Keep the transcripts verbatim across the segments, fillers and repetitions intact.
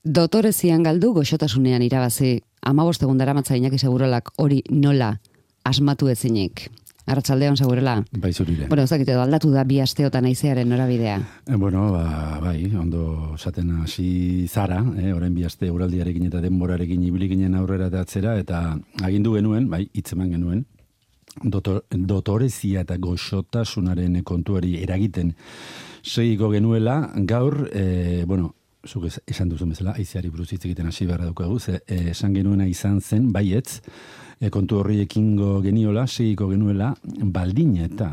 Dotorezian galdu, goxotasunean irabazi. Hamabost egun daramatza Iñaki Segurolak hori nola asmatu ezinik. Arratsaldeon Segurela. Bai, zurire. Bueno, ez dakit edo aldatu da bi asteotan haizearen norabidea. E, bueno, ba, bai, ondo esaten hasi zara, eh, orain bi aste uraldiarekin eta denborarekin ibili ginen aurrera eta atzera, eta agindu genuen, bai, hitzeman genuen, dotor, dotorezia eta goxotasunaren kontuari eragiten segiko genuela, gaur, e, bueno, zuk esan duzun bezala, haizeari buruz hitz egiten hasi beharra daukagu, ze eh, esan genuena izan zen, baietz, e, kontu horri ekingo geniola, segiko genuela, baldin eta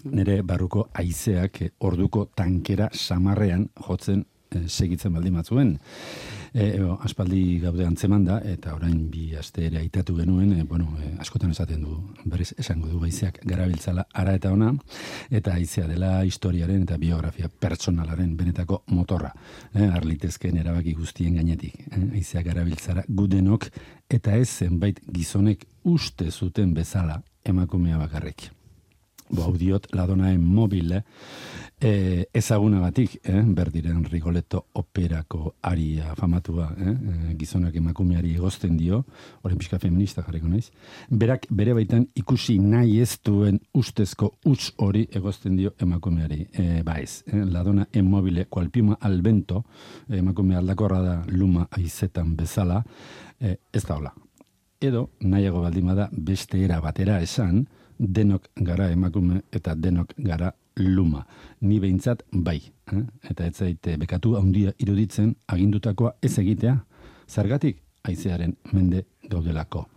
nire barruko haizeak e, orduko tankera samarrean jotzen e, segitzen baldin batzuen. E, e, aspaldi gaude antzeman da, eta orain bi aste ere aitatu genuen, e, bueno, e, askotan esaten du, berriz esango du haizeak garabiltzala ara eta ona, eta haizea dela historiaren eta biografia pertsonalaren benetako motorra. E, arlitezken erabaki guztien gainetik. E, haizeak garabiltzara gudenok, eta ez zenbait gizonek uste zuten bezala emakumea bakarrik. Bo, hau diot, ladonaen mobile, eh, ezagunagatik, eh, berdiren Rigoletto operako aria famatua, eh, eh, gizonak emakumeari egozten dio, orain pixka feminista jarriko naiz, berak bere baitan ikusi nahi ez duen ustezko huts hori egozten dio emakumeari. Eh, ba ez, eh, ladona en mobile, kualpima al vento, eh, emakume aldakorra da luma aizetan bezala, eh, ez da hola. Edo, nahiago baldin bada beste era batera esan, denok gara emakume eta denok gara luma. Ni behintzat bai. Eh? Eta ez zaite bekatu handia iruditzen agindutakoa ez egitea, zergatik haizearen mende gaudelako.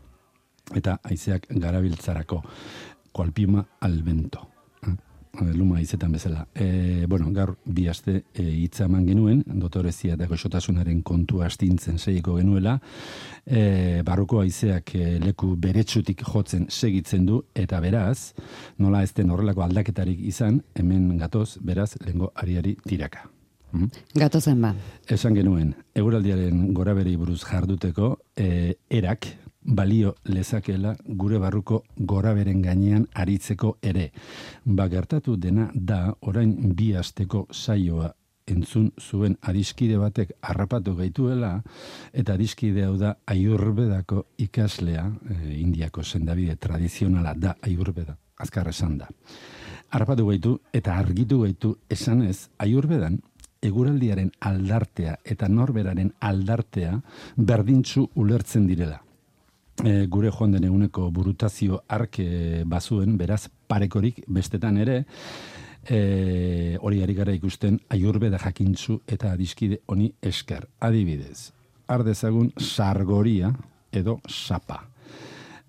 Eta haizeak garabiltzarako. Kualpima al vento. Eh? Luma haizetan bezala. E, bueno, gaur bi aste e, hitza eman genuen, dotorezia eta goxotasunaren kontua astintzen segiko genuela, e, barruko haizeak e, leku beretsutik jotzen segitzen du, eta beraz, nola ez den horrelako aldaketarik izan, hemen gatoz, beraz, lehengo ariari tiraka. Hmm? Gatozen ba. Esan genuen, eguraldiaren goraberi buruz jarduteko, e, erak, balio lezakela gure barruko goraberen gainean aritzeko ere. Ba, gertatu dena da orain bi asteko saioa entzun zuen adiskide batek harrapatu gaituela, eta adiskide hau da Ayurvedako ikaslea, e, Indiako sendabide tradizionala da Ayurveda, azkar esan da. Harrapatu gaitu eta argitu gaitu esanez Ayurvedan eguraldiaren aldartea eta norberaren aldartea berdintzu ulertzen direla. E, gure joan den eguneko burutazio arke bazuen, beraz parekorik bestetan ere, e, hori ari gara ikusten Ayurveda jakintzu eta adiskide honi esker. Adibidez, ardezagun sargoria edo sapa.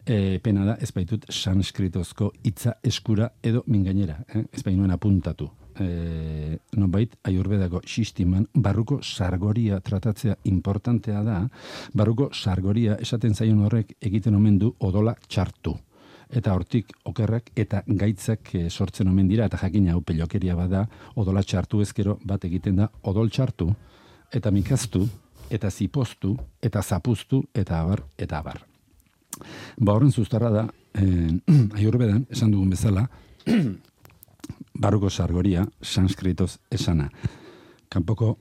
E, pena da, ez baitut sanskritozko hitza eskura edo mingainera, eh? Ez bainuen apuntatu. E, nonbait Ayurvedako sisteman barruko sargoria tratatzea importantea da, barruko sargoria esaten zaion horrek egiten omen du odola txartu. Eta hortik okerrak eta gaitzak e, sortzen omen dira, eta jakina hau pelokeria bada, odola txartu ezkero bat egiten da odol txartu, eta mikaztu, eta zipoztu, eta zapuztu, eta abar, eta abar. Ba horren zuztarra da, eh, Ayurvedan, esan dugun bezala, barruko sargoria, sanskritoz esana. Kanpoko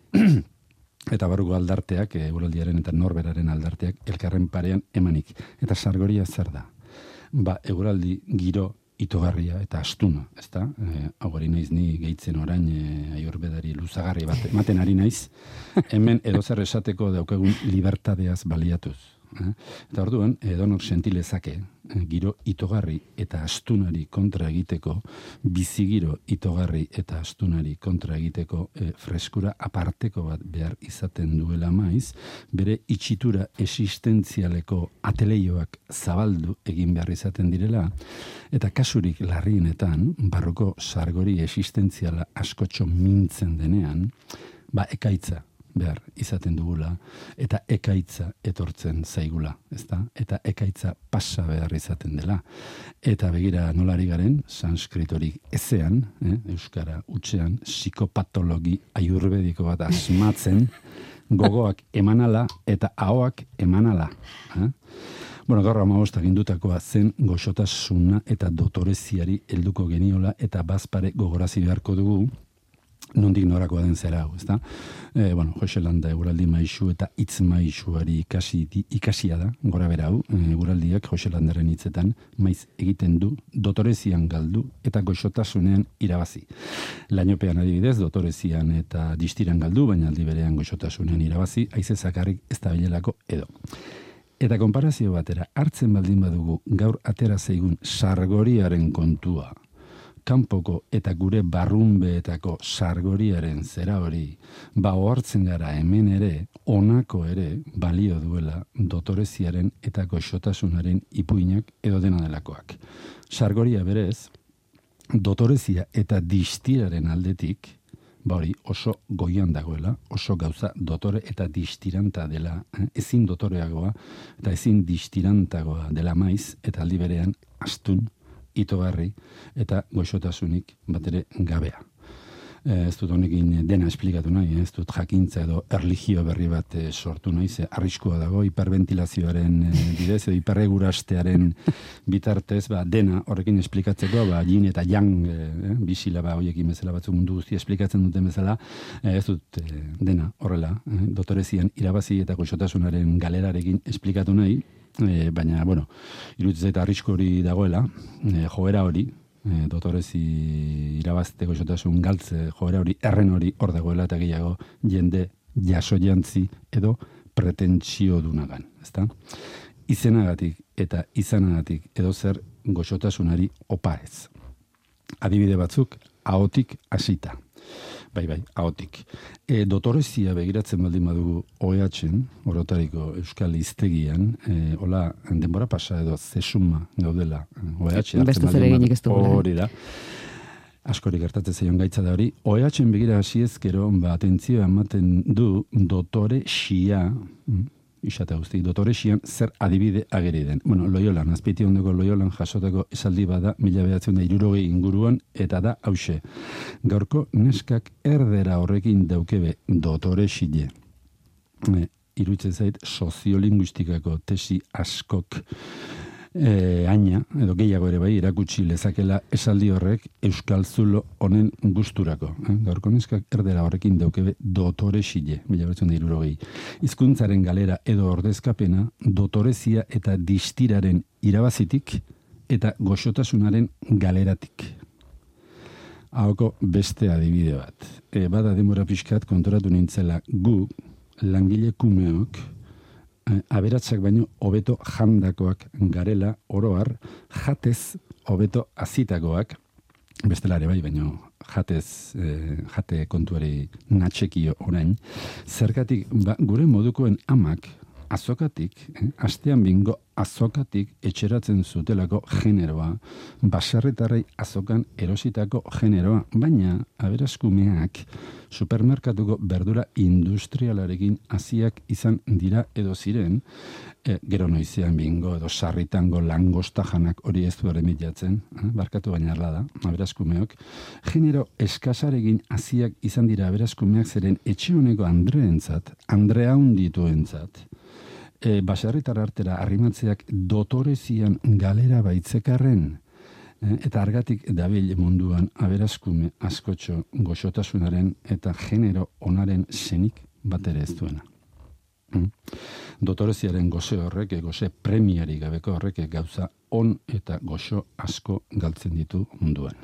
eta barruko aldarteak, eguraldiaren eta norberaren aldarteak, elkarren parean emanik. Eta sargoria zer da? Ba, eguraldi giro itogarria eta astuna, ezta? E, hau hori naiz ni gehitzen orain e, Ayurvedari luzagarri bat ematen ari naiz, hemen edozer esateko daukagun libertadeaz baliatuz. Eh? Eta orduan, edonok sentilezake, eh, giro itogarri eta astunari kontra egiteko, bizigiro itogarri eta astunari kontra egiteko eh, freskura aparteko bat behar izaten duela maiz, bere itxitura existentzialeko ateleioak zabaldu egin behar izaten direla, eta kasurik larrienetan, barruko sargori existentziala askotxo mintzen denean, ba ekaitza behar izaten dugula, eta ekaitza etortzen zaigula, ezta? Eta ekaitza pasa behar izaten dela. Eta begira nolari garen, sanskritorik ezean, eh, euskara utxean, psikopatologi ayurvediko bat asmatzen, gogoak emanala eta ahoak emanala. Eh? Bueno, gaur hamabostak indutakoa zen goxotasuna eta dotoreziari helduko geniola, eta bazpare gogorazi beharko dugu, nondik norakoa den zera hau, ezta? E, bueno, Joselanda eguraldi maisu eta hitz maisuari ikasi, ikasia da, gora bera hau, eguraldiak Joselandaren hitzetan, maiz egiten du, dotorezian galdu eta goxotasunean irabazi. Lainopean adibidez, dotorezian eta distiran galdu, baina aldi berean goxotasunean irabazi, haize zakarrik ez da bilelako edo. Eta konparazio batera, hartzen baldin badugu gaur atera zaigun sargoriaren kontua, kanpoko eta gure barrunbeetako sargoriaren zera hori, ba ohartzen gara hemen ere, honako ere, balio duela dotoreziaren eta goxotasunaren ipuinak edo dena delakoak. Sargoria berez, dotorezia eta distiraren aldetik, ba hori oso goian dagoela, oso gauza dotore eta distiranta dela, eh? ezin dotoreagoa eta ezin distirantagoa dela maiz, eta aldi berean astun, itogarri eta goxotasunik bat ere gabea. E, ez dut honekin dena esplikatu nahi, ez dut jakintza edo erlijio berri bat e, sortu nahi, ze arriskua dago hiperventilazioaren e, bidez edo hiperregurastearen bitartez, ba, dena horrekin esplikatzeko, ba, yin eta yang e, bisila ba, hoiekin bezala batzuk mundu guzti esplikatzen duten bezala, e, ez dut e, dena horrela, e, dotorezian irabazi eta goxotasunaren galerarekin esplikatu nahi, E, baina, bueno, iruditzen zait arrisko hori dagoela, e, joera hori, e, dotorezi irabazte goxotasun galtze joera hori, erren hori hor dagoela eta gehiago jende jaso jantzi edo pretentsio dunagan, ezta? Izenagatik eta izanagatik edo zer goxotasunari opa ez. Adibide batzuk, ahotik hasita. Bai, bai, ahotik. E, dotorezia begiratzen baldin badugu O E H-en, orotariko Euskal Hiztegian, e, hola, denbora pasa edo zesuma gaudela O E H. Beste zer eginik ez dugula. Hori da. Askori gertatzen zaion gaitza da hori. O E H-en begira hasi ezkero, ba, atentzioa ematen du dotore xia, isate guzti, dotore xian zer adibide ageri den. Bueno, Loiolan, azpiti ondoko Loiolan jasotako esaldi bada mila behatzen da irurogei inguruan, eta da hause. Gaurko neskak erdera horrekin daukebe dotore xile. E, iruditzen zait soziolinguistikako tesi askok E, aina, edo gehiago ere bai, erakutsi lezakela esaldi horrek euskal zulo honen gusturako. Eh? Gaurko neskak erdera horrekin daukebe dotore xile, mila bertzen da irurogei. Hizkuntzaren galera edo ordezkapena dotorezia eta distiraren irabazitik eta goxotasunaren galeratik. Hauko beste adibide bat. E, bada denbora pixkat kontoratu nintzela gu, langile kumeok, aberatsak baino hobeto jandakoak garela oroar, jatez hobeto azitakoak, bestelare bai, baino jatez, eh, jate kontuari natxekio orain, zergatik ba, gure modukoen amak azokatik, eh, astean bingo azokatik etxeratzen zutelako generoa, baserritarrei azokan erositako generoa, baina aberaskumeak supermerkatuko berdura industrialarekin hasiak izan dira edo ziren, e, gero noizean bingo edo sarritango langosta janak hori ez du erremitiatzen, eh, barkatu baina arla da, aberaskumeok, genero eskasarekin hasiak izan dira aberaskumeak zeren etxe honeko Andreentzat, Andrea hundituentzat, e, baserritar artera arrimatzeak dotorezian galera baitzekarren, eta argatik dabil munduan aberaskume askotxo goxotasunaren eta genero onaren zenik bat ere ez duena. Mm. Dotoreziaren goze horrek, goze premiari gabeko horrek gauza on eta goxo asko galtzen ditu munduan.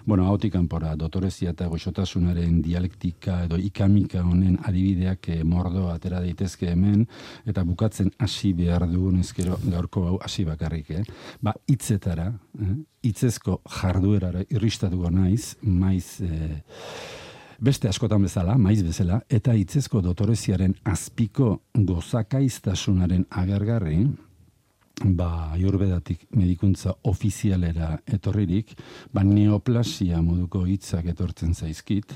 Bueno, hautik kanpora, dotorezia eta goxotasunaren dialektika edo ikamika honen adibideak eh, mordo atera daitezke hemen, eta bukatzen hasi behar dugun ezkero gaurko hau hasi bakarrik. Eh? Ba, hitzetara, eh? hitzezko jarduerara irristatuko naiz, maiz... Eh, Beste askotan bezala, maiz bezala, eta hitzezko dotoreziaren azpiko gozakaiztasunaren agergarri, ba, ayurvedatik medikuntza ofizialera etorririk, ba, neoplasia moduko hitzak etortzen zaizkit,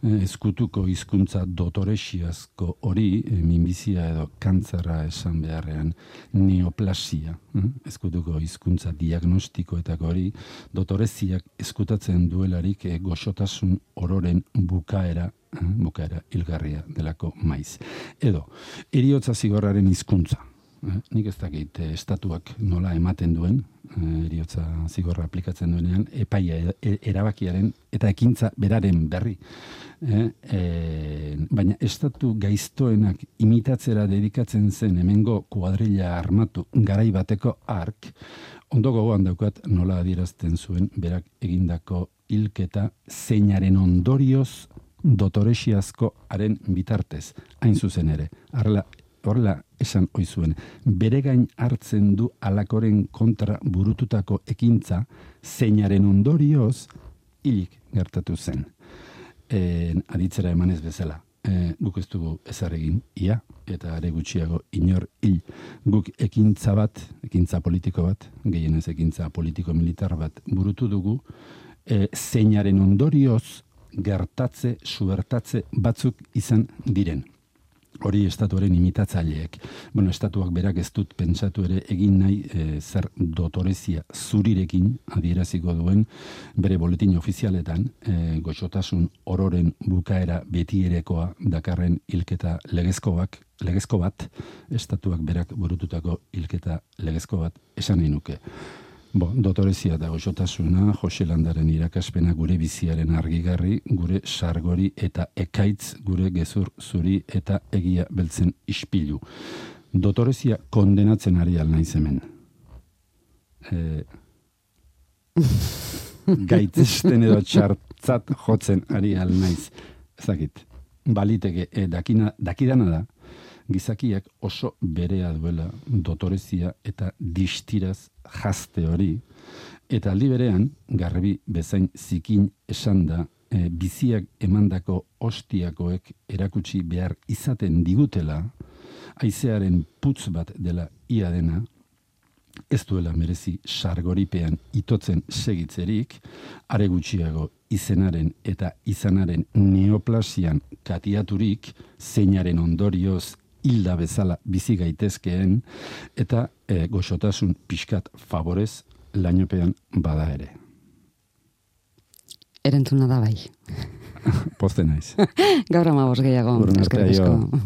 eh, ezkutuko hizkuntza dotoresiazko hori, eh, minbizia edo kantzerra esan beharrean neoplasia, eh, ezkutuko hizkuntza diagnostikoetako hori, dotoreziak ezkutatzen duelarik eh, goxotasun ororen bukaera, bukaera hilgarria delako maiz. Edo, heriotza zigorraren hizkuntza. Eh? Nik ez dakit eh, estatuak nola ematen duen, eh, eriotza zigorra aplikatzen duenean, epaia e, erabakiaren eta ekintza beraren berri. Eh? Eh, baina estatu gaiztoenak imitatzera dedikatzen zen hemengo kuadrilla armatu garai bateko ark, ondo gogoan daukat nola adierazten zuen berak egindako hilketa zeinaren ondorioz dotoresiazko haren bitartez, hain zuzen ere. Arla Horrela esan oizuen, bere gain hartzen du alakoren kontra burututako ekintza zeinaren ondorioz hilik gertatu zen. E, aditzera emanez bezala, e, guk ez dugu ezar egin ia, eta are gutxiago inor hil. Guk ekintza bat, ekintza politiko bat, gehienez ekintza politiko-militar bat burutu dugu, e, zeinaren ondorioz gertatze, subertatze batzuk izan diren. Hori estatuaren imitatzaileek. Bueno, estatuak berak ez dut pentsatu ere egin nahi e, zer dotorezia zurirekin adieraziko duen bere boletin ofizialetan e, goxotasun ororen bukaera betierekoa dakarren hilketa legezkoak, legezko bat, estatuak berak burututako hilketa legezko bat esan nahi nuke. Bo, dotorezia da goxotasuna, Jose Landaren irakaspena gure biziaren argigarri, gure sargori eta ekaitz gure gezur zuri eta egia beltzen ispilu. Dotorezia kondenatzen ari al naiz hemen. E, gaitzesten edo txartzat jotzen ari al naiz. Ezakit, baliteke, e, dakina, dakidana da, gizakiak oso berea duela dotorezia eta distiraz jazte hori, eta aldi berean, garbi bezain zikin esan da, e, biziak emandako ostiakoek erakutsi behar izaten digutela, haizearen putz bat dela ia dena, ez duela merezi sargoripean itotzen segitzerik, are gutxiago izenaren eta izanaren neoplasian katiaturik, zeinaren ondorioz hilda bezala bizi gaitezkeen, eta e, goxotasun pixkat favorez lainopean bada ere. Erantzuna da bai. Pozten naiz. Gaur ama bos gehiago. Eskerrik asko.